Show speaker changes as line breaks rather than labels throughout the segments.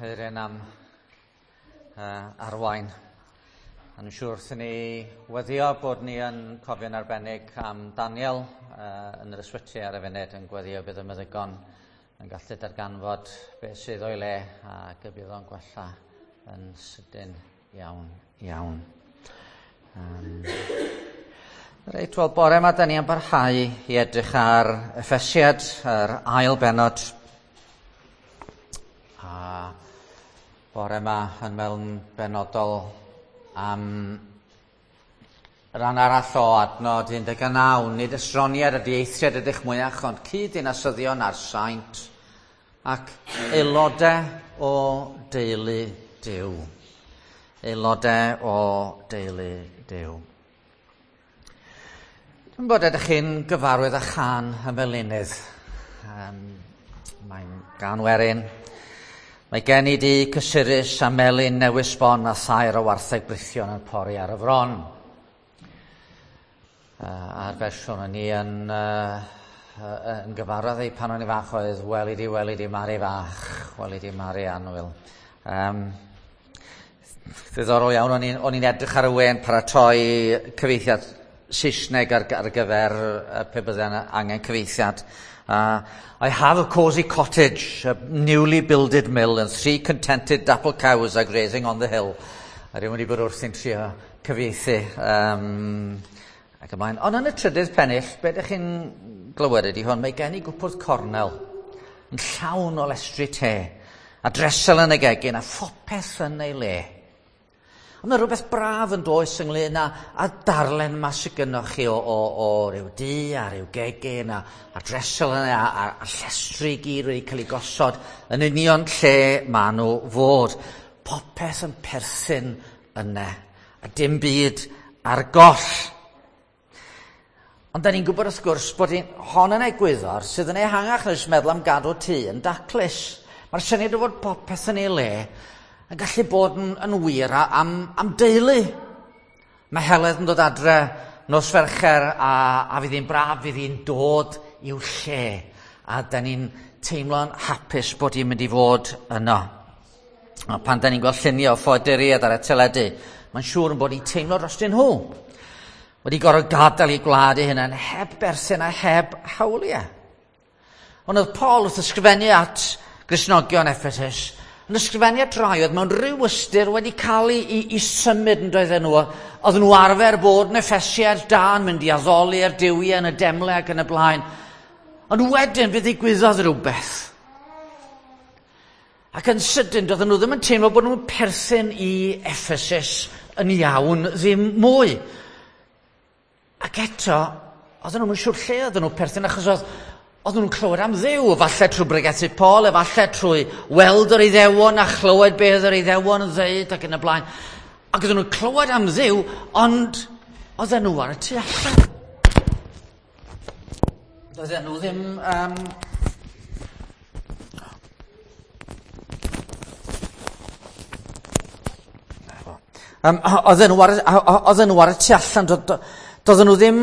Eirin am arwain. A ni'n siŵr wrth i ni weddio bod ni yn cofio'n arbennig am Daniel yn yr ysbyty ar y funud yn gweddio bydd y meddygon yn gallu darganfod beth sydd o'i le ac y bydd o'n gwella yn sydyn iawn, iawn. Reit, wel, bore yma da ni yn barhau i edrych ar Effesiad, yr ail bennod. A bore yma yn mewn benodol am ran arall o adnod 19, nid estroniad ydy eithriad ydych mwyach, ond cyd-ddinasyddion a'r saint ac aelodau o deulu Duw. Aelodau o deulu Duw. Dwi'n bod ydych chi'n gyfarwydd â chan y melinydd. Mae'n gan werin. Mae gen i di cysurus a melyn newydd sbon a thair o wartheg brithion yn pori ar y fron. A'r fersiwn o'n i yn, yn gyfarwydd ei pan o'n i fach oedd weli di Mari fach, weli di Mari annwyl. Ddiddorol iawn, o'n i'n edrych ar y we yn paratoi cyfieithiad Saesneg ar gyfer pe bydde angen cyfieithiad. I have a cosy cottage, a newly builded mill, and three contented dapple cows are grazing on the hill. A rhywun wedi bod wrthi'n trio cyfieithu. Ac ymlaen. Ond yn y trydydd pennill, be ydych chi'n glywed ydy hwn, mae gen i gwpwrdd cornel yn llawn o lestri te, a dresel yn y gegin, a phopeth yn ei le. Ond mae rhywbeth braf yn does ynglyn â darllen yma sydd gynnoch chi o ryw dŷ a ryw gegin a dresel yna a llestri gyd wedi cael ei gosod yn union lle maen nhw fod. Popeth yn perthyn yna a dim byd ar goll. Ond da ni'n gwybod wrth gwrs bod hon yn egwyddor sydd yn ehangach na jyst meddwl am gadw tŷ yn daclus. Mae'r syniad o fod popeth yn ei le yn gallu bod yn wir am deulu. Mae Heledd yn dod adre nos Fercher a fydd hi'n braf, fydd hi'n dod i'w lle. A da ni'n teimlo'n hapus bod hi'n mynd i fod yno. A pan da ni'n gweld lluniau o ffoaduriaid ar y teledu, mae'n siŵr yn bod hi'n teimlo drostyn nhw. Wedi gorfod gadael eu gwlad eu hunain heb berthyn a heb hawliau. Ond oedd Paul wrth ysgrifennu at Gristnogion Ephesus, yn ysgrifennu at rai oedd mewn rhyw ystyr wedi cael ei symud yn doedden nhw. Oedden nhw arfer bod yn Effesiaid da yn mynd i addoli ar duwiau yn y demlau ac yn y blaen. Ond wedyn fe ddigwyddodd rhywbeth. Ac yn sydyn, doedden nhw ddim yn teimlo bod nhw'n perthyn i Ephesus yn iawn ddim mwy. Ac eto, oedden nhw'n siŵr lle oedden nhw'n perthyn, achos oedden nhw'n clywed am Dduw, efallai trwy bregethu Paul, efallai trwy weld yr Iddewon a chlywed beth yr Iddewon yn ddeud ac yn y blaen. Ac oedden nhw'n clywed am Dduw, ond oedden nhw ar y tu allan. Doedden nhw ddim... Oedden nhw ar y tu allan, doedden nhw ddim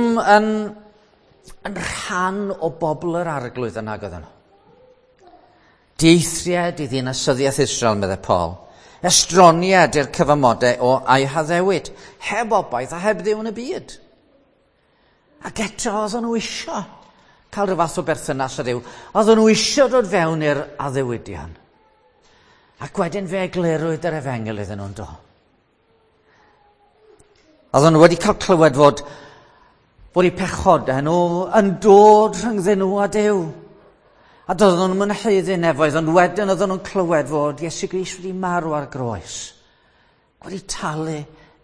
yn rhan o bobl yr arglwydd yna oedden nhw. Dieithriad i ddinasyddiaeth Israel, meddai Paul. Estroniad i'r cyfamodau o a'i haddewid, heb obaith a heb Dduw yn y byd. Ac eto oedden nhw isio cael rhyw fath o berthynas â Duw. Oedden nhw isio dod fewn i'r addewidion. Ac wedyn fe eglurwyd yr efengyl iddyn nhw'n do. Oedden nhw wedi cael clywed fod eu pechodau nhw yn dod rhyngddyn nhw a Duw. A doedden nhw'n mynhyddu nefoedd, ond wedyn oedden nhw'n clywed fod Iesu Grist wedi marw ar groes, wedi talu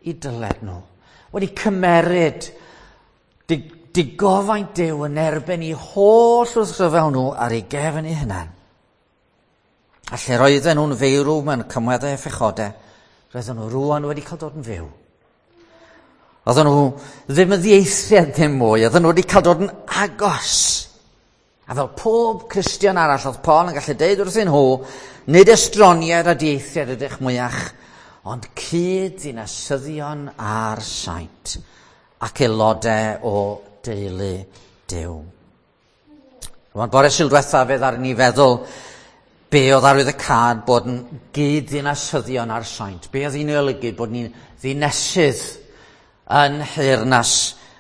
i dyled nhw, wedi cymeryd digofaint Duw yn erbyn eu holl wrthryfel nhw ar ei gefn eu hunain. A lle roedden nhw'n feirw mewn cymweddau a phechodau, roedden nhw rŵan wedi cael dod yn fyw. Oedden nhw ddim yn ddieithriad ddim mwy, oedden nhw wedi cael dod yn agos. A fel pob Cristion arall, oedd Paul yn gallu deud wrthyn nhw, nid estroniad a dieithriad ydych mwyach, ond cyd-ddinasyddion a'r saint ac aelodau o deulu Duw. Rwan, bore Sul diwetha fe ddaru ni feddwl Be oedd arwyddocâd bod yn gyd-ddinasyddion â'r saint? Be oedd hi'n olygu bod ni'n ddinesydd yn nheyrnas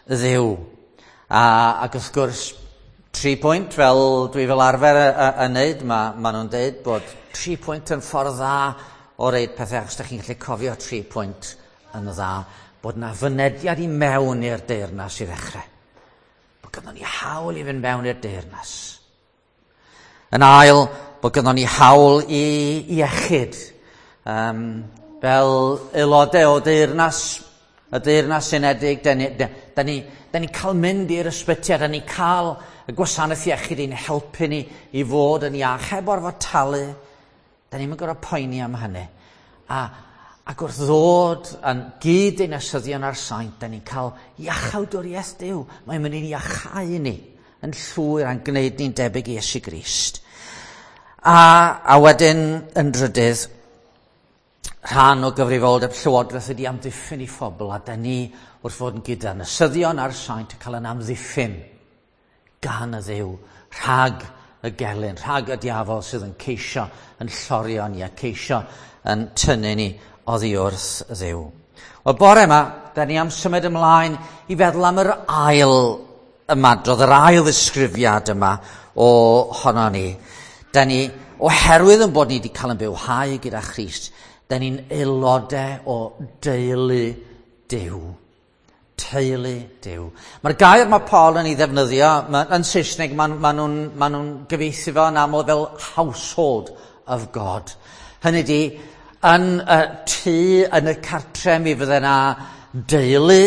Dduw? Ac wrth gwrs, 3 pwynt, fel dwi fel arfer yn neud, ma nhw'n deud bod 3 pwynt yn ffordd dda o reid pethau, achos da chi'n gallu cofio 3 pwynt yn dda, bod na fynediad i mewn i'r deyrnas i ddechrau. Bod gynnon ni hawl i fynd mewn i'r deyrnas. Yn ail, bod gynnon ni hawl i iechyd. Fel aelodau o deyrnas, y Deyrnas Unedig, da ni'n cael mynd i'r ysbyty a da ni'n cael y gwasanaeth iechyd i'n helpu ni i fod yn iach, heb orfod talu. Da ni'n gorfod poeni am hynny. Ac wrth ddod yn gyd-ddinasyddion â'r saint, da ni'n cael iachawdwriaeth Duw. Mae'n mynd i'n iachau ni yn llwyr a'n gwneud ni'n debyg i Iesu Grist. A wedyn yn drydydd, rhan o gyfrifoldeb llywodraeth ydy amddiffyn i phobl, a da ni wrth fod yn gyd-ddinasyddion â'r saint yn cael yn amddiffyn gan y Dduw rhag y gelyn, rhag y diafol sydd yn ceisio yn llorio ni a ceisio yn tynnu ni oddi wrth Dduw. Wel, bore yma, da ni am symud ymlaen i feddwl am yr ail ymadrodd, yr ail ddisgrifiad yma o honno ni. Da ni, oherwydd yn bod ni wedi cael yn bywhau gyda Christ, da ni'n aelodau o deulu Duw. Teulu Duw. Mae'r gair mae Paul yn ei ddefnyddio, yn Saesneg maen nhw'n gyfieithu fo yn aml fel household of God. Hynny ydi, yn y tŷ, yn y cartre, mi fydde yna deulu,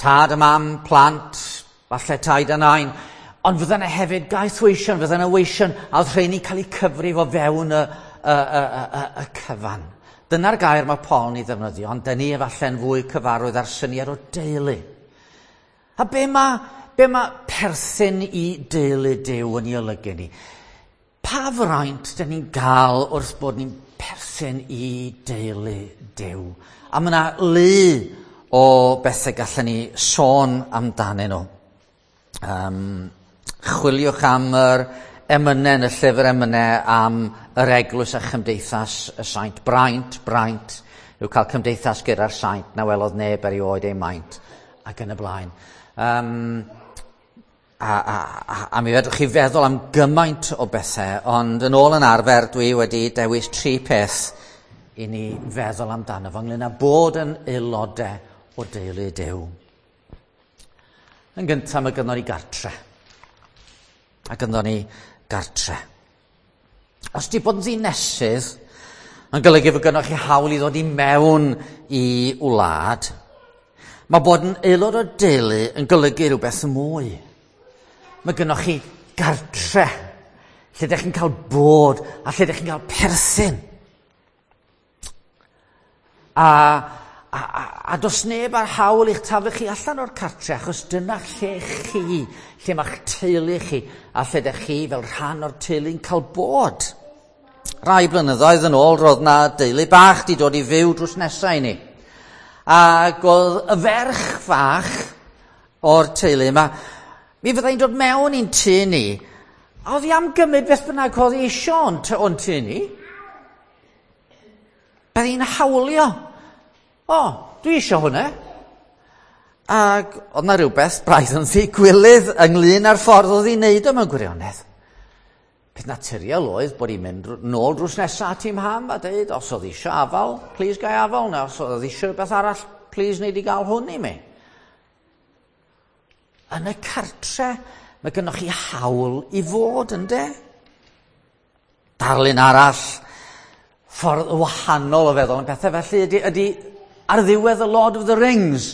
tad a mam, plant, falle taid a nain, ond fydde yna hefyd gaethweision, fydde yna weision, a oedd rheini'n cael eu cyfrif o fewn y cyfan. Dyna'r gair mae Paul yn ei ddefnyddio, ond dyn ni efallai'n fwy cyfarwydd â'r syniad o deulu. A be mae perthyn i deulu Duw yn ei olygu ni? Pa fraint dyn ni'n gael wrth bod ni'n perthyn i deulu Duw? A mae yna lu o bethau gallwn ni sôn amdanyn nhw. Chwiliwch am yr emynau yn y llyfr emynau am yr eglwys a chymdeithas y saint. Braint yw cael cymdeithas gyda'r saint na welodd neb erioed ei maint ac yn y blaen. A mi fedrwch chi feddwl am gymaint o bethau, ond yn ôl yn arfer dwi wedi dewis 3 peth i ni feddwl amdano fo ynglŷn â bod yn aelodau o deulu Duw. Yn gyntaf, mae gynnon ni gartre. A gynnon ni gartre. Os di bod yn ddinesydd yn golygu fod gynnoch chi hawl i ddod i mewn i wlad, mae bod yn aelod o deulu yn golygu rhywbeth mwy. Mae gynnoch chi gartre, lle ydych chi'n cael bod a lle ydych chi'n cael perthyn. A does neb ar hawl i'ch taflu chi allan o'r cartre, achos dyna lle chi, lle mae'ch teulu chi, a lle ydych chi fel rhan o'r teulu'n cael bod. Rai blynyddoedd yn ôl, roedd na deulu bach di dod i fyw drws nesau i ni. Ac oedd y ferch fach o'r teulu yma, mi fyddai'n dod mewn i'n tŷ ni, a oedd hi am gymryd beth bynnag oedd hi eisiau o'n tŷ ni. Bydd hi'n hawlio. O, dwi eisiau hwnna. Ac oedd na rhywbeth braidd yn ddigwilydd ynglyn â'r ffordd oedd hi'n neud o mewn gwirionedd. Peth naturiol oedd bod hi'n mynd nôl drws nesaf at ei mham a dweud, os oedd eisiau afal, please gai afal, neu os oedd eisiau rhywbeth arall, please wneud i gael hwn i mi. Yn y cartre, mae gynnoch chi hawl i fod, ynde? Darlun arall, ffordd wahanol o feddwl am pethau felly ydy ar ddiwedd y Lord of the Rings.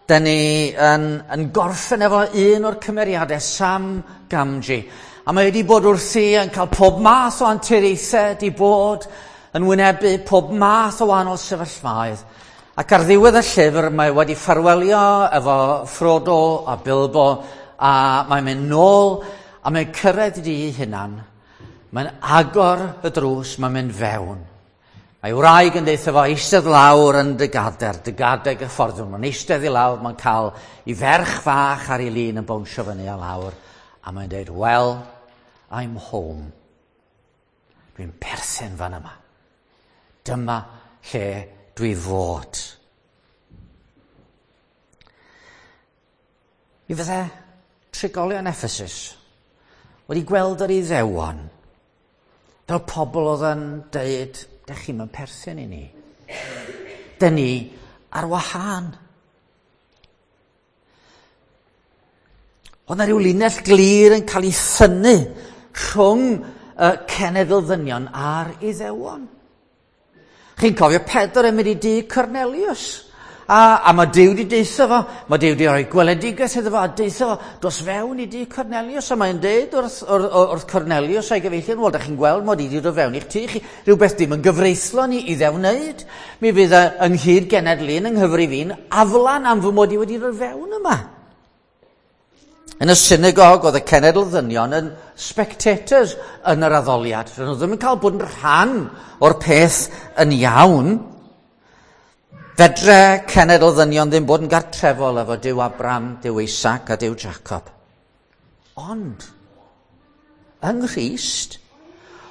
Da ni yn gorffen efo un o'r cymeriadau, Sam Gamgee. A mae wedi bod wrthi yn cael pob math o anturiaethau, wedi bod yn wynebu pob math o wahanol sefyllfaoedd. Ac ar ddiwedd y llyfr mae wedi ffarwelio efo Frodo a Bilbo, a mae'n mynd nôl a mae'n cyrraedd i ei hunan. Mae'n agor y drws, mae'n mynd fewn. Mae wraig yn deutha fo eistedd lawr yn dy gader, dy gader gyfforddwn. Mae'n eistedd i lawr, mae'n cael ei ferch fach ar ei lin yn bownsio fyny a lawr. A mae'n dweud, "Well, I'm home. Dwi'n perthyn fan yma. Dyma lle dwi fod." Mi fydde trigolion Ephesus wedi gweld yr Iddewon fel pobl oedd yn deud, "Dych chi'm yn perthyn i ni. Dyn ni ar wahân." Oedd yna rhyw linell glir yn cael ei thynnu rhwng y cenedl ddynion a'r Iddewon. Chi'n cofio Pedr yn mynd i dŷ Cornelius. A mae Duw wedi deutha fo, mae Duw wedi rhoi gweledigaeth iddo fo a deutha fo, "Dos fewn i dŷ Cornelius." A mae'n deud wrth Cornelius a'i gyfeillion, "Wel, da chi'n gweld mod i wedi dod fewn i'ch tŷ chi, rhywbeth dim yn gyfreithlon i iddew wneud. Mi fydd ynghyd genedl un yng nghyfrif un aflan am fy mod i wedi dod fewn yma." Yn y synagog, oedd y cenedl ddynion yn spectators yn yr addoliad. Roedden nhw ddim yn cael bod yn rhan o'r peth yn iawn. Fedre cenedl ddynion ddim bod yn gartrefol efo Duw Abraham, Duw Isaac a Duw Jacob. Ond, yng Nghrist,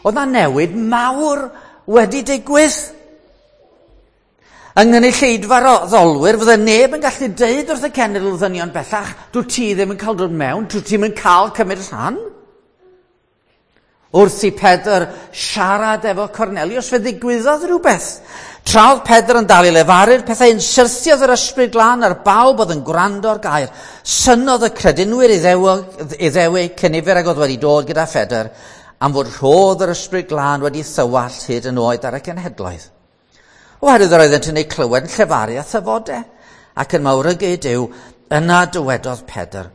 oedd na newid mawr wedi digwydd. Yng nghynulleidfa'r addolwyr, fydde neb yn gallu deud wrth y cenedl ddynion bellach, "Dwi ti ddim yn cael dod mewn, dwi ti'm yn cael cymryd rhan." Wrth i Pedr siarad efo Cornelius, fe ddigwyddodd rhywbeth. Tra oedd Pedr yn dal i lefaru'r pethau, yn syrthiodd yr Ysbryd Glân ar bawb oedd yn gwrando'r gair. Synnodd y credinwyr Iddewig cynifer ag oedd wedi dod gyda Phedr, am fod rhodd yr Ysbryd Glân wedi thywallt hyd yn oed ar y cenhedloedd. Oherwydd yr oeddent yn ei clywed yn llefaru a thyfodau, ac yn mawrygu Duw, yna dywedodd Pedr,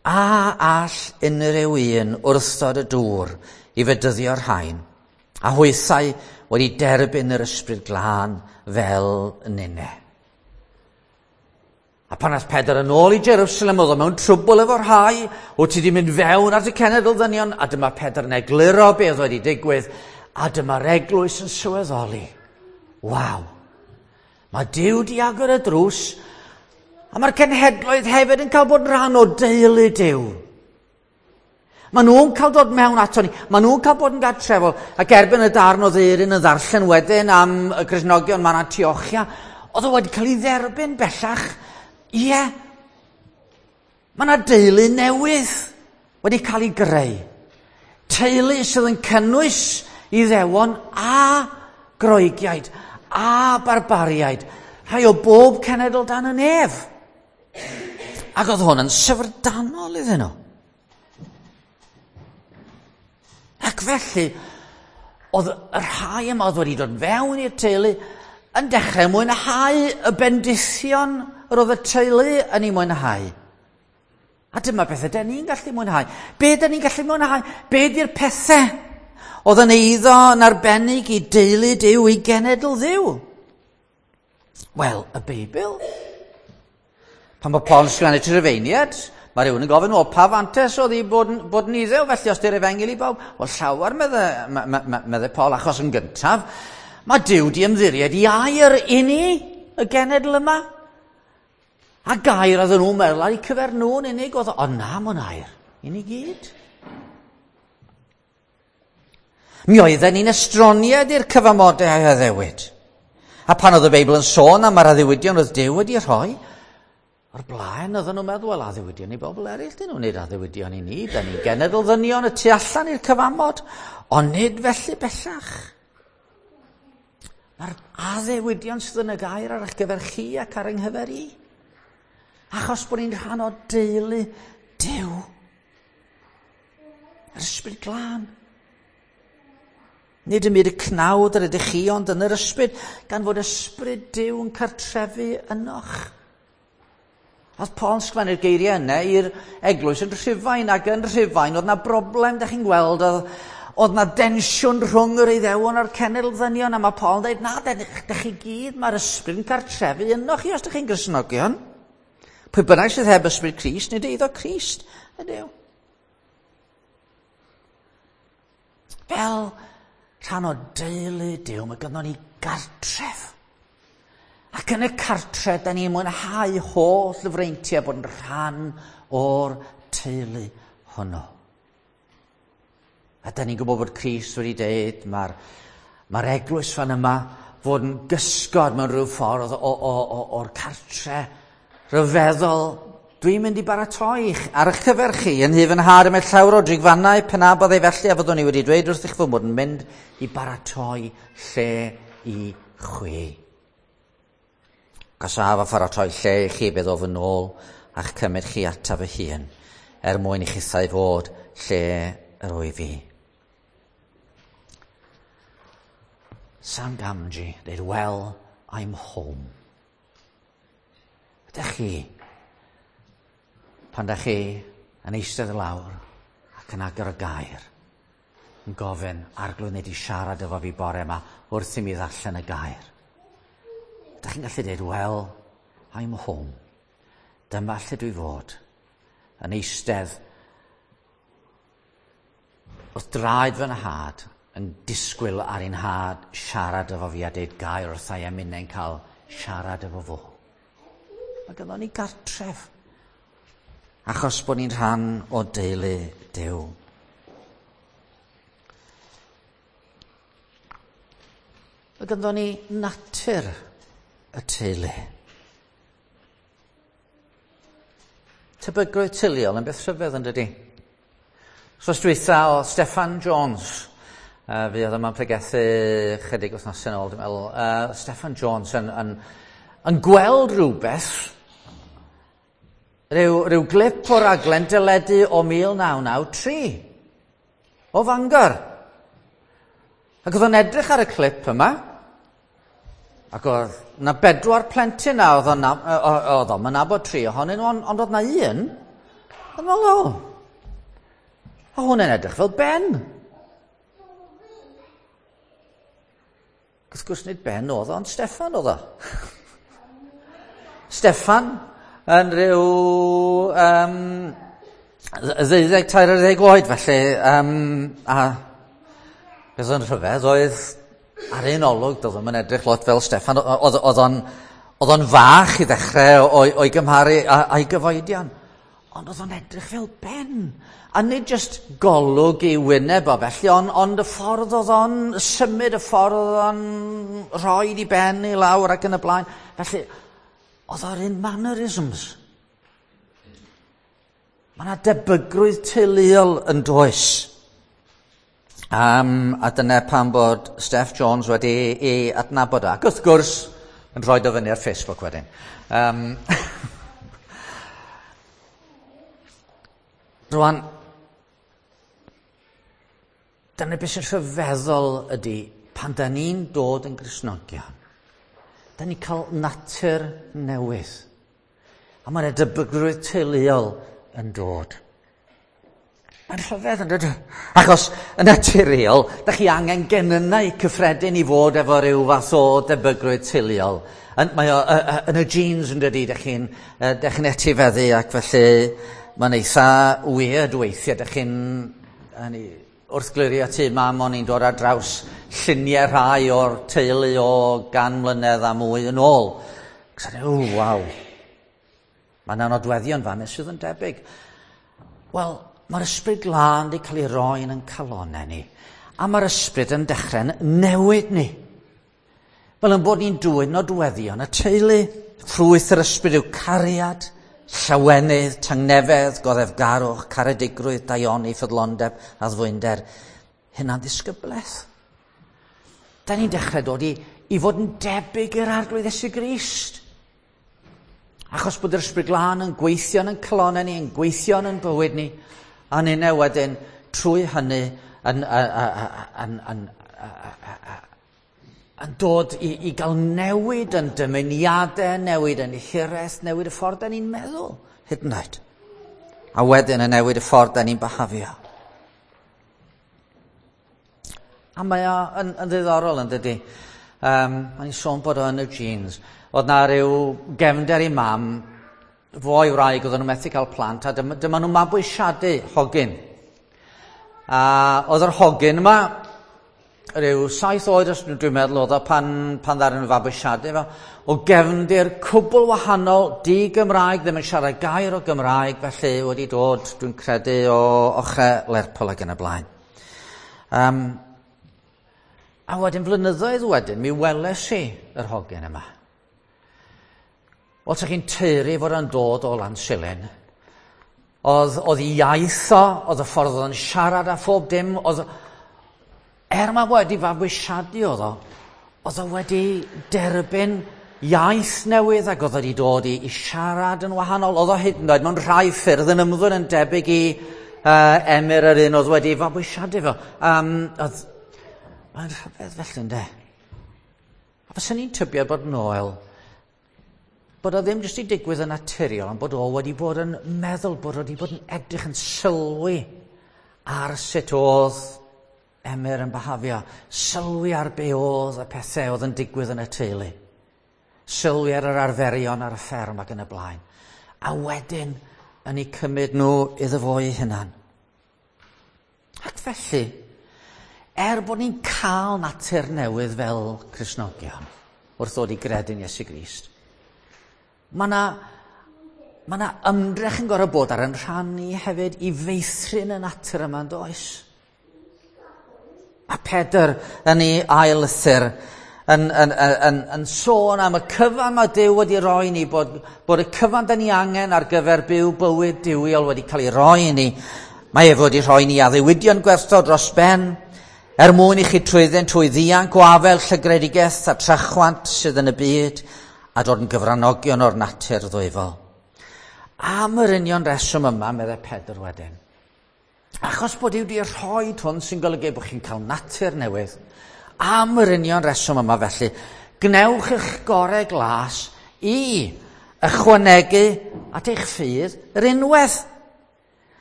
"A all unrhyw un wrthod y dŵr i fedyddio'r rhain, a hwythau wedi derbyn yr Ysbryd Glân fel ninne?" A pan aeth Pedr yn ôl i Jerusalem, oedd o mewn trwbl efo rhai, "Wyt ti wedi mynd fewn at y cenedl ddynion?" A dyma Pedr yn egluro beth oedd wedi digwydd, a dyma'r eglwys yn sylweddoli. Waw, mae Duw di agor y drws, a mae'r cenhedloedd hefyd yn cael bod yn rhan o deulu Duw. Maen nhw'n cael dod mewn ato ni, maen nhw'n cael bod yn gartrefol, ac erbyn y darn o ddeiryn yn ddarllen wedyn am y Cristnogion ma'n Antiochia, oedd o wedi cael ei dderbyn bellach. Ie, mae yna deulu newydd wedi cael ei greu. Teulu sydd yn cynnwys Iddewon a Groegiaid a barbariaid, rhai o bob cenedl dan y nef. Ac oedd hwn yn syfrdanol iddyn nhw. Ac felly, oedd y rhai yma oedd wedi dod fewn i'r teulu yn dechrau mwynhau y bendithion yr oedd y teulu yn ei mwynhau. A dyma beth ydyn ni'n gallu mwynhau. Be ydyn ni'n gallu mwynhau? Be ydy'r pethau oedd yn eiddo yn arbennig i deulu Duw, i genedl Dduw? Wel, y Beibl. Pan mae Paul yn sgwennu at y Rufeiniaid, mae rhywun yn gofyn, "Wel, pa fantes oedd i bod yn Iddew, felly os di'r efengyl i bawb?" Wel, llawer, medde Paul, achos yn gyntaf, mae Duw di ymddiried i air i ni, y genedl yma. A gair oedden nhw'n meddwl ar eu cyfer nhw'n unig, oedd o, ond na, mae'n air i ni gyd. Mi oedden ni'n estroniad i'r cyfamodau a addewid. A pan oedd y Beibl yn sôn am yr addewidion oedd Duw wedi rhoi, o'r blaen oedden nhw'n meddwl, wel, addewidion i bobl eraill, dyn nhw'n neud addewidion i ni, da ni'n genedl ddynion y tu allan i'r cyfamod, ond nid felly bellach. Mae'r addewidion sydd yn y gair ar eich gyfer chi ac ar yng nghyfer i. Achos bod ni'n rhan o deulu Duw. Yr Ysbryd Glân. Nid ym myd y cnawd yr ydych chi, ond yn yr ysbryd, gan fod ysbryd Duw yn cartrefu ynoch. Oedd Paul yn sgwennu'r geiriau yna i'r eglwys yn Rhufain, ac yn Rhufain oedd na broblem, da chi'n gweld, oedd na densiwn rhwng yr Iddewon a'r cenedl ddynion, a mae Paul yn dweud, na, da chi gyd, mae'r ysbryd yn cartrefu ynoch chi os da chi'n Gristnogion. Pwy bynnag sydd heb ysbryd Crist, nid eiddo Crist ydyw. Fel rhan o deulu Duw, mae gynnon ni gartref. Ac yn y cartref, da ni'n mwynhau holl freintiau bod yn rhan o'r teulu hwnnw. A da ni'n gwybod bod Crist wedi deud mae'r mae eglwys fan yma fod yn gysgod mewn rhyw ffordd o'r cartre rhyfeddol. Dwi'n mynd i baratoi ar eich cyfer chi yn nhŷ fy nhad y mae llawer o drigfannau pe na byddai felly a fyddwn i wedi dweud wrthych fy mod yn mynd i baratoi lle i chwi. Os af a pharatoi lle i chi, bydd o fy nôl a'ch cymryd chi ataf fy hun, er mwyn i chithau fod lle yr wyf fi. Sam Gamgee, dweud, well, I'm home. Ydych chi, pan ydych chi yn eistedd lawr ac yn agor y gair, yn gofyn, Arglwydd, wnei di siarad efo fi bore yma wrth i mi ddarllen y gair. Ydych chi'n gallu dweud, well, I'm home. Dyma lle dwi fod, yn eistedd wrth draed fy nhad, yn disgwyl ar ein nhad siarad efo fi a deud gair wrtha i a minnau'n cael siarad efo fo. Mae gynnon ni gartref, achos bod ni'n rhan o deulu Duw. Mae gynnon ni natur y teulu. Tebygrwydd teuluol yn beth rhyfedd yn dydi? Wsos dwytha o Steffan Jones, fi oedd yma'n pregethu chydig wythnosau yn ôl, dwi'n meddwl, Steffan Jones yn gweld rhywbeth, rhyw glip o raglen deledu o 1993, o Fangor. Ac oedd o'n edrych ar y clip yma, ac oedd na 4 plentyn na, oedd o'n nabod 3 ohonyn nhw, ond oedd na un, oedd o'n meddwl, o, hwnna'n edrych fel Ben. Wrth gwrs nid Ben oedd o, ond Steffan oedd o. Steffan yn rhyw 12-13 oed felly, a beth o'n rhyfedd oedd ar un olwg, doedd o'm yn edrych lot fel Steffan, oedd o'n fach i ddechrau o'i gymharu a'i gyfoedion, ond oedd o'n edrych fel Ben. A nid just golwg i wyneb o felly, ond y ffordd oedd o'n symud, y ffordd oedd o'n rhoi i ben i lawr ac yn y blaen. Felly, oedd o'r un mannerisms. Mae yna debygrwydd teuluol yn does. A dyna pam bod Steph Jones wedi ei adnabod o. Ac wrth gwrs, yn rhoi o fyny ar Facebook wedyn. Rwan, dyna beth sy'n rhyfeddol ydy, pan da ni'n dod yn Gristnogion, da ni'n cael natur newydd. A mae'n debygrwydd teuluol yn dod. Mae'n rhyfedd yn dydy? Achos yn naturiol, da chi angen genynnau cyffredin i fod efo rhyw fath o debygrwydd teuluol. Mae o yn y genes yn dydy, da chi'n etifeddu ac felly mae'n eitha weird weithiau. Da chi'n wrth glirio tŷ mam, o'n i'n dod ar draws lluniau rhai o'r teulu o 100 mlynedd a mwy yn ôl. O, waw. Mae yna nodweddion fan sydd yn debyg. Wel, mae'r ysbryd glân wedi cael ei roi yn ein calonnau ni. A mae'r ysbryd yn dechrau'n newid ni. Fel yn bod ni'n dwyn nodweddion y teulu. Ffrwyth yr ysbryd yw cariad, llawenydd, tangnefedd, goddefgarwch, caredigrwydd, daioni, ffyddlondeb, addfwynder, hunanddisgyblaeth. Da ni'n dechrau dod i fod yn debyg i'r Arglwydd Iesu Grist. Achos bod yr ysbryd glân yn gweithio yn calonnau ni, yn gweithio yn bywyd ni, a ninne wedyn trwy hynny yn dod i gael newid yn dymuniadau, newid yn hiraeth, newid y ffordd da ni'n meddwl, hyd yn oed. A wedyn yn newid y ffordd da ni'n byhafio. A mae o yn ddiddorol yn dydy. Mae'n sôn bod o yn y genes. Oedd na rhyw gefnder i mam, fo i wraig, oedden nhw methu cael plant, a dyma nhw'n mabwysiadu hogyn. A oedd yr hogyn yma, rhyw 7 oed, os dwi'n meddwl, oedd o pan ddaru nhw fabwysiadu fo, o gefndir cwbl wahanol, di-Gymraeg, ddim yn siarad gair o Gymraeg, felly wedi dod, dwi'n credu, o ochrau Lerpwl ac yn y blaen. A wedyn flynyddoedd wedyn, mi weles i yr hogyn yma. Wel, sa chi'n taeru fod o'n dod o Lansilin. Oedd ei iaith o, oedd y ffordd oedd o'n siarad a phob dim, oedd, er mae wedi fabwysiadu oedd o, oedd o wedi derbyn iaith newydd ac oedd wedi dod i siarad yn wahanol. Oedd o hyd yn oed mewn rhai ffyrdd yn ymddwyn yn debyg i Emyr yr un oedd wedi fabwysiadu fo. Mae'n rhyfedd felly, ynde? A fyswn i'n tybio bod Noel, bod o ddim jyst i digwydd yn naturiol, ond bod o wedi bod yn meddwl, bod o wedi bod yn edrych yn sylwi ar sut oedd Emyr yn byhafio, sylwi ar be oedd y pethau oedd yn digwydd yn y teulu, sylwi ar yr arferion ar y fferm ac yn y blaen, a wedyn yn eu cymryd nhw iddo fo ei hunan. Ac felly, er bod ni'n cael natur newydd fel Cristnogion wrth ddod i gredu'n Iesu Grist, mae 'na ymdrech yn gorfod bod ar yn rhan ni hefyd i feithrin y natur yma, yn does? A Pedr yn ei ail lythyr yn sôn am y cyfan mae Duw wedi roi ni, bod y cyfan da ni angen ar gyfer byw bywyd duwiol wedi cael ei roi i ni. Mae ef wedi rhoi ni addewidion gwerthfawr dros ben, er mwyn i chi trwyddyn trwy ddianc o afel llygredigaeth a trachwant sydd yn y byd, a dod yn gyfranogion o'r natur ddwyfol. Am yr union reswm yma, meddai Pedr wedyn, achos bod Duw wedi rhoi hwn sy'n golygu bod chi'n cael natur newydd, am yr union reswm yma felly, gwnewch eich gorau glas i ychwanegu at eich ffydd rinwedd.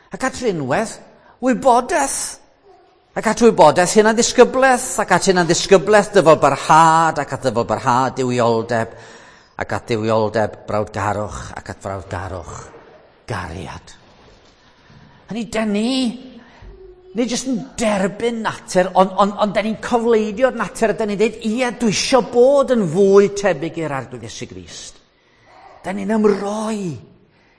Ac at rinwedd, wybodaeth. Ac at wybodaeth hunanddisgyblaeth, ac at hunanddisgyblaeth dyfalbarhad, ac at ddyfalbarhad duwioldeb, ac at dduwioldeb brawdgarwch, ac at frawdgarwch gariad. Hynny, da ni jyst yn derbyn natur, ond da ni'n cofleidio'r natur, a da ni'n dweud, ie, dwi eisiau bod yn fwy tebyg i'r Arglwydd Iesu Grist. Da ni'n ymroi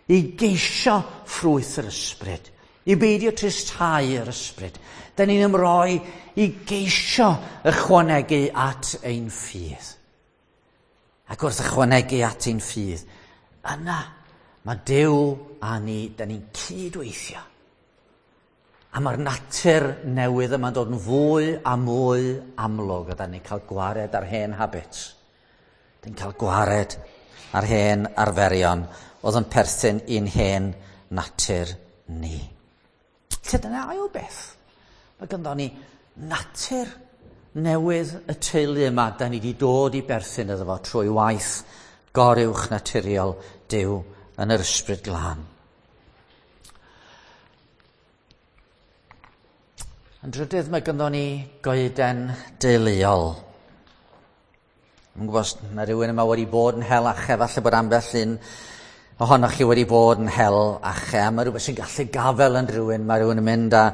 i geisio ffrwyth yr ysbryd, i beidio tristhau yr ysbryd. Da ni'n ymroi i geisio ychwanegu at ein ffydd. Ac wrth ychwanegu at ein ffydd, yna mae Duw a ni, da ni'n cydweithio. A mae'r natur newydd yma'n dod yn fwy a mwy amlwg, a da ni'n cael gwared ar hen habits. Da ni'n cael gwared ar hen arferion oedd yn perthyn i'n hen natur ni. Lle dyna ail beth. Mae ganddo ni natur newydd y teulu yma, da ni wedi dod i berthyn iddo fo trwy waith goruwch naturiol Duw yn yr ysbryd glân. Yn drydydd, mae ganddo ni goeden deuluol. Dwi'n gwybod os na rhywun yma wedi bod yn hel ache, falle bod ambell un ohonoch chi wedi bod yn hel ache, a mae rhywbeth sy'n gallu gafel yn rhywun, mae rhywun yn mynd a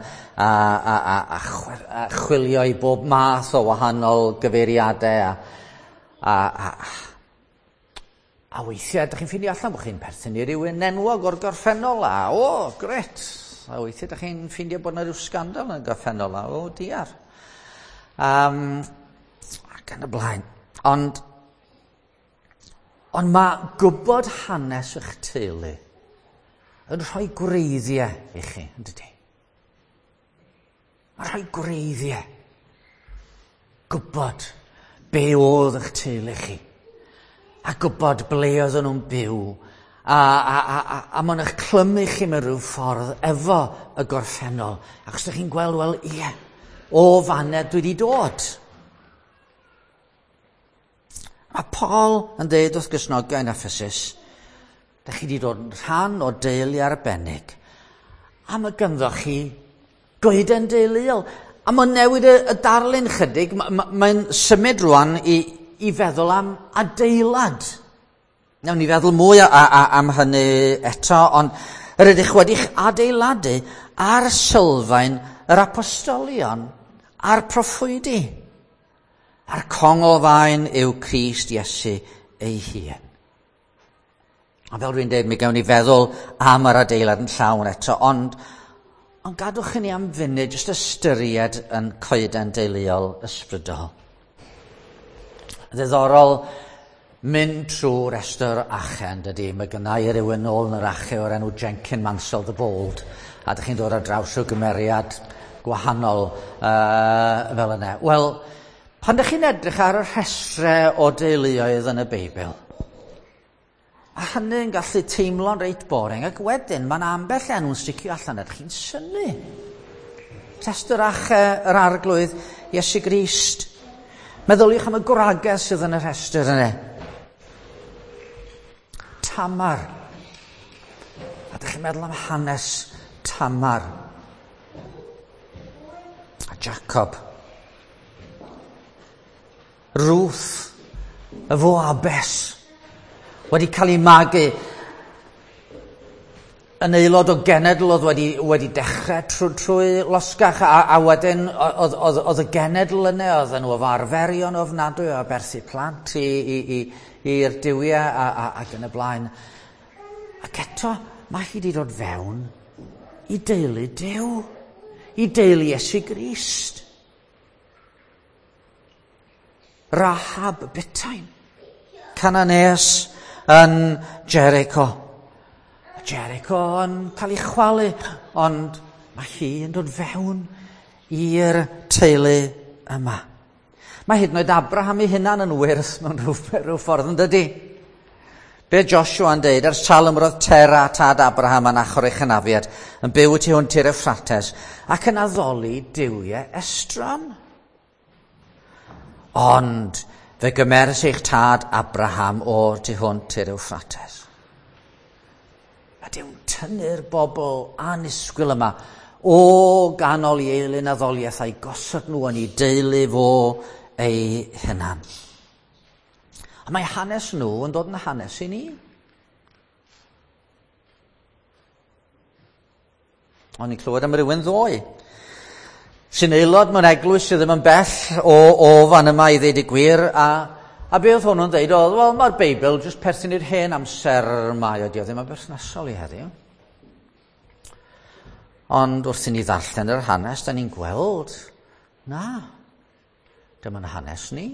chwilio i bob math o wahanol gyfeiriadau, a weithiau, ydych chi'n ffeindio allan bod chi'n perthyn i rywun enwog o'r gorffennol, a o, gret! A weithiau, ydych chi'n ffeindio bod yna rhyw sgandal yn y gorffennol, a o, diar. Ac yn y blaen. Ond mae gwybod hanes eich teulu yn rhoi gwreiddiau i chi, yn dydi? Mae'n rhoi gwreiddiau. Gwybod be oedd eich teulu chi, a gwybod ble oedden nhw'n byw, a mae'n eich clymu chi mewn rhyw ffordd efo y gorffennol. Achos ydych chi'n gweld, wel, ie, o fanna dwi wedi dod. Mae Paul yn dweud wrth Gristnogion Ephesus, da chi wedi dod yn rhan o deulu arbennig, a mae ganddo chi goeden deuluol. A mae'n newid y darlun chydig, mae'n symud rwan i feddwl am adeilad. Nawn ni feddwl mwy am hynny eto, ond yr ydych wedi'ch adeiladu ar sylfaen yr apostolion a'r proffwydi. A'r conglfaen yw Crist Iesu ei hun. A fel dwi'n dweud, mi gawn ni feddwl am yr adeilad yn llawn eto, ond Ond gadwch i ni am funud jyst ystyried yn coeden deuluol ysbrydol. Ddiddorol mynd trwy restr ache, yn dydy. Mae gynna i rywun nôl yn yr ache o'r enw Jenkin Mansell the Bold, a dych chi'n dod ar draws o gymeriad gwahanol fel yna. Wel, pan dych chi'n edrych ar y rhestrau o deuluoedd yn y Beibl, a hynny'n gallu teimlo'n reit boring, ac wedyn mae'n ambell enw'n sticio allan a chi'n synnu. Rhestr ache yr Arglwydd Iesu Grist. Meddyliwch am y gwragedd sydd yn y rhestr yna. Tamar. A dych chi'n meddwl am hanes Tamar. A Jacob. Ruth, y Foabes, wedi cael ei magu yn aelod o genedl oedd wedi dechrau trwy losgach, a wedyn oedd y genedl yna, oedd nhw efo arferion ofnadwy o aberthu plant i'r duwiau ac yn y blaen. Ac eto, mae hi wedi dod fewn i deulu Duw, i deulu Iesu Grist. Rahab Butain, Cananeus yn Jericho. Jericho yn cael ei chwalu, ond mae hi yn dod fewn i'r teulu yma. Mae hyd yn oed Abraham ei hunan yn wyrth mewn rhyw ffordd, yn dydy? Be Joshua yn deud, ers talwm roedd Tera tad Abraham yn achor ei chynafiad, yn byw tu hwnt i'r Euphrates, ac yn addoli duwiau estron. Ond fe gymeres eich tad Abraham o'r tu hwnt i'r Euphrates. A Duw'n tynnu'r bobl annisgwyl yma o ganol i eilun addoliaeth a'i gosod nhw yn ei deulu fo ei hunan. A mae hanes nhw yn dod yn hanes i ni. O'n i'n clywed am rywun ddoe sy'n aelod mewn eglwys sydd ddim yn bell o fan yma i ddeud y gwir, a be oedd hwnnw'n dweud oedd, wel, mae'r Beibl jyst perthyn i'r hen amser mae o, dio ddim yn berthnasol i heddiw. Ond wrth i ni ddarllen yr hanes, da ni'n gweld, na, dyma'n hanes ni.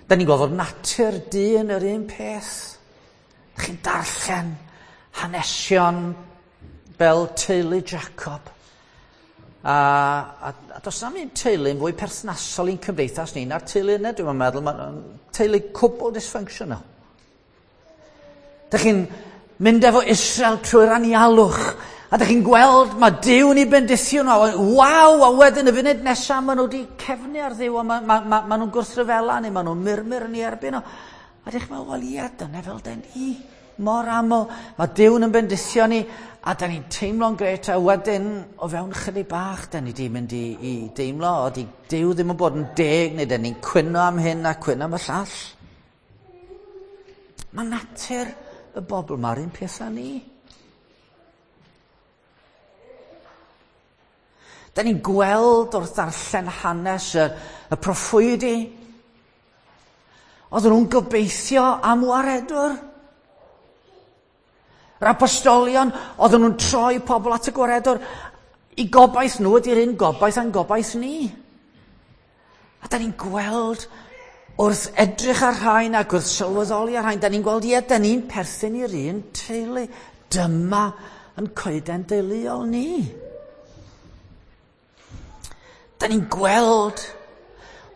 Da ni'n gweld fod natur dyn yr un peth. Chi'n darllen hanesion fel teulu Jacob. A does na'm un teulu'n fwy perthnasol i'n cymdeithas ni na'r teulu yna, dwi'n meddwl, mae'n teulu cwbl dysfunctional. Dych chi'n mynd efo Israel trwy'r anialwch, a dych chi'n gweld mae Duw yn ei bendithio nhw, waw, a wedyn y funud nesaf maen nhw wedi cefnu ar Dduw, a ma nhw'n gwrthryfela neu maen nhw'n murmur yn ei erbyn nhw. A dych chi'n meddwl, wel ia, dyna fel den ni. Mor aml, mae Duw'n yn bendithio ni, a da ni'n teimlo'n gret, a wedyn, o fewn chydig bach, da ni di mynd i deimlo, o di Duw ddim yn bod yn deg, neu da ni'n cwyno am hyn a cwyno am y llall. Mae natur y bobl ma'r un peth â ni. Da ni'n gweld wrth ddarllen hanes y proffwydi. Oedden nhw'n gobeithio am waredwr. Yr apostolion, oedden nhw'n troi pobl at y gwaredwr. I gobaith nhw ydy'r un gobaith a'n gobaith ni. A da ni'n gweld wrth edrych ar rhain ac wrth sylweddoli ar rhain, da ni'n gweld, ie, da ni'n perthyn i'r un teulu. Dyma yn coeden deuluol ni. Da ni'n gweld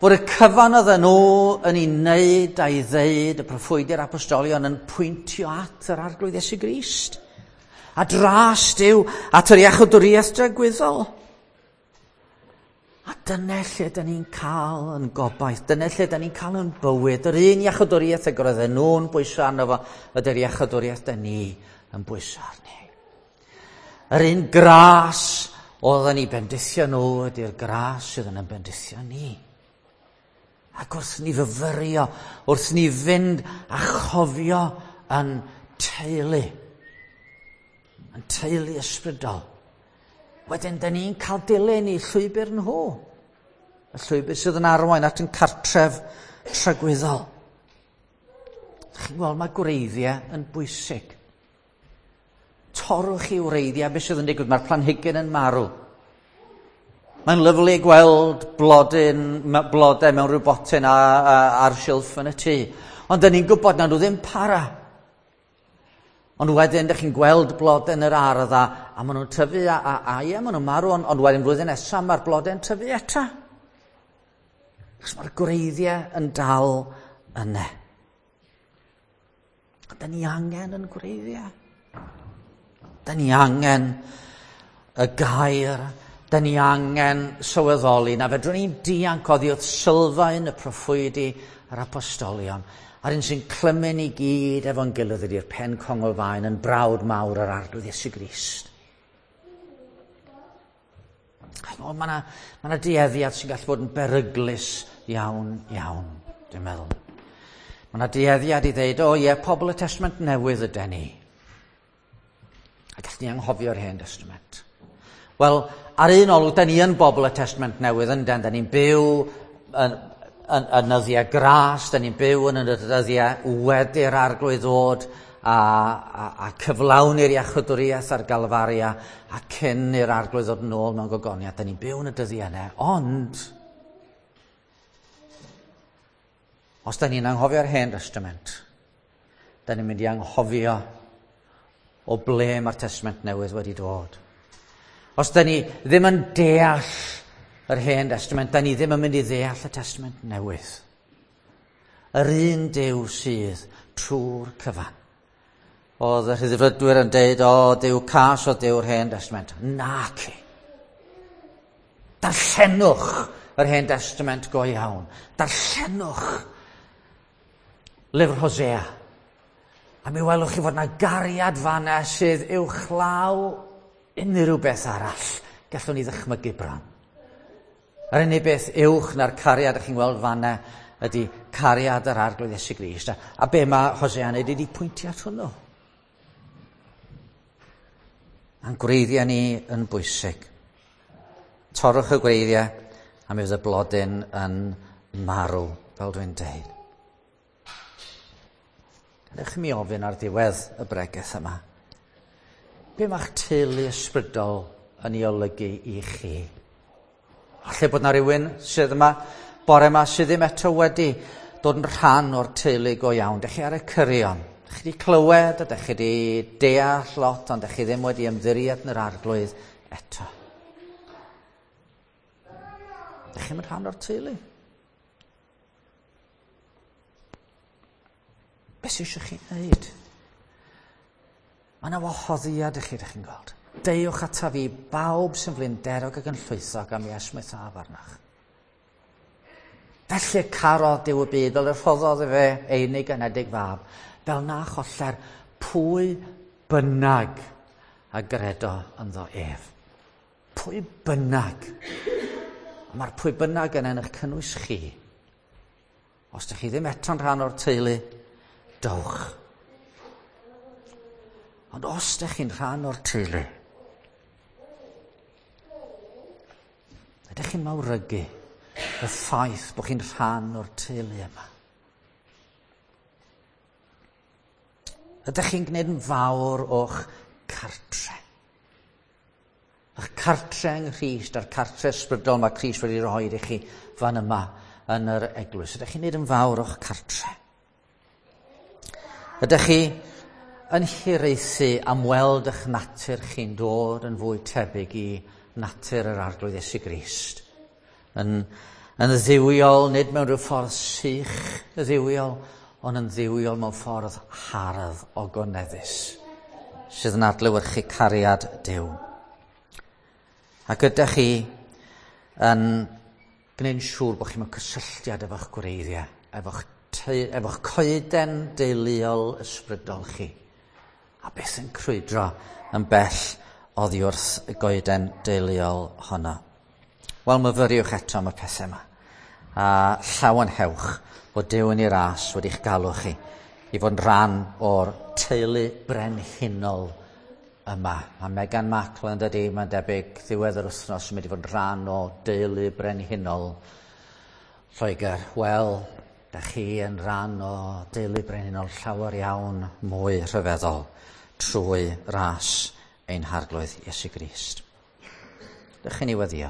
bod y cyfan oedden nhw yn ei wneud a'i ddeud, y proffwydi'r apostolion yn pwyntio at yr Arglwydd Iesu Grist. A dras Duw at yr iachawdwriaeth dragwyddol. A dyna lle da ni'n cael yn gobaith, dyna lle da ni'n cael yn bywyd. Yr un iachawdwriaeth ag oedden nhw'n bwyso arno fo, ydy'r iachawdwriaeth da ni yn bwyso arni. Yr un gras oedden ni bendithio nhw ydy'r gras sydd yn bendithio ni. Ac wrth ni fyfyrio, wrth ni fynd a chofio yn teulu ysbrydol, wedyn da ni'n cael dilyn i llwybr nhw, y llwybr sydd yn arwain at yn cartref tragwyddol. Chi'n gweld, mae gwreiddiau yn bwysig. Torrwch i wreiddiau, beth sydd yn digwydd, mae'r planhigyn yn marw. Mae'n lyfli gweld blodyn, blodau mewn rhyw botyn ar silff yn y tŷ. Ond dyn ni'n gwybod na nhw ddim para. Ond wedyn, dych chi'n gweld blodau yn yr ardd a maen nhw'n tyfu a ie, maen nhw'n marw, ond wedyn flwyddyn nesaf mae'r blodau'n tyfu eto. Achos mae'r gwreiddiau yn dal yna. Ond dyn ni angen yn gwreiddiau. Dyn ni angen y gair. Dyn ni angen sylweddoli na fedrwn ni'n dianc oddi wrth sylfaen y proffwydi a'r apostolion. A'r un sy'n clymu ni gyd efo'n gilydd ydy'r pen conglfaen yn brawd mawr yr Arglwydd Iesu Grist. Mae yna dueddiad sy'n gallu bod yn beryglus iawn, iawn, dwi'n meddwl. Mae yna dueddiad i ddeud, o ie, pobl y Testament Newydd yden ni. A gallwn ni anghofio'r Hen Testament. Wel, ar un olwg, da ni yn bobl y Testament Newydd ynden, da ni'n byw yn nyddiau gras, da ni'n byw yn y dyddiau wedi'r Arglwydd ddod a cyflawni'r iachawdwriaeth ar Galfaria a cyn i'r Arglwydd ddod yn ôl mewn gogoniad, da ni'n byw yn y dyddiau yna, ond os da ni'n anghofio'r Hen Testament, da ni'n mynd i anghofio o ble mae'r Testament Newydd wedi dod. Os da ni ddim yn deall yr Hen Testament, da ni ddim yn mynd i ddeall y Testament Newydd. Yr un Duw sydd trwy'r cyfan. Oedd y rhyddfrydwyr yn deud, o, Duw cas o Duw'r Hen Testament. Naci. Darllenwch yr Hen Testament go iawn. Darllenwch lyfr Hosea. A mi welwch chi fod yna gariad fanna sydd uwchlaw unrhyw beth arall gallwn ni ddychmygu bron. Yr unig beth uwch na'r cariad ych chi'n gweld fanna ydy cariad yr Arglwydd Iesu Grist. A be mae Hosea'n neud ydy pwyntio at hwnnw. A'n gwreiddiau ni yn bwysig. Torrwch y gwreiddiau a mi fydd y blodyn yn marw, fel dwi'n deud. Gadewch i mi ofyn ar ddiwedd y bregeth yma. Be mae'ch teulu ysbrydol yn ei olygu i chi? Falle bod na rhywun sydd yma bore yma sydd ddim eto wedi dod yn rhan o'r teulu go iawn. Dych chi ar y cyrion. Dych chi wedi clywed a dych chi wedi deall lot, ond dych chi ddim wedi ymddiried yn yr Arglwydd eto. Dych chi'n rhan o'r teulu. Be sydd eisiau chi wneud? Mae yna wahoddiad i chi, dych chi'n gweld. Deuwch ata fi bawb sy'n flinderog ac yn llwythog am i esmwythaf arnoch. Felly carodd Duw y byd fel y rhoddodd efe ei unig anedig fab, fel na choller pwy bynnag a gredo ynddo ef. Pwy bynnag. A mae'r pwy bynnag yn eich cynnwys chi. Os ydych chi ddim eto'n rhan o'r teulu, dowch. Ond os ydych chi'n rhan o'r teulu, ydych chi'n mawrygu y ffaith bod chi'n rhan o'r teulu yma? Ydych chi'n gwneud yn fawr o'ch cartre? A'ch cartre yng Nghrist a'r cartre ysbrydol mae Crist wedi rhoi i chi fan yma yn yr eglwys. Ydych chi'n gwneud yn fawr o'ch cartre? Ydych chi yn hiraethu am weld eich natur chi'n dod yn fwy tebyg i natur yr Arglwydd Iesu Grist? Yn dduwiol, nid mewn rhyw ffordd sych dduwiol, ond yn dduwiol mewn ffordd hardd ogoneddus, sydd yn adlewyrchu cariad Duw. Ac ydych chi yn gwneud yn siŵr bod chi mewn cysylltiad efo'ch gwreiddiau, efo'ch coeden deuluol ysbrydol chi, a beth yn crwydro yn bell oddi wrth y goeden deuluol honno. Wel, myfyriwch eto am y pethau yma, a llawenhewch bod Duw yn ei ras wedi'ch galw chi i fod yn rhan o'r teulu brenhinol yma. Mae Meghan Markle yn dydi, mae'n debyg ddiwedd yr wythnos yn mynd i fod yn rhan o deulu brenhinol Lloegr. Wel, da chi yn rhan o deulu brenhinol llawer iawn mwy rhyfeddol. trwy ras ein harglwydd Iesu Grist. Dych chi'n ni weddio.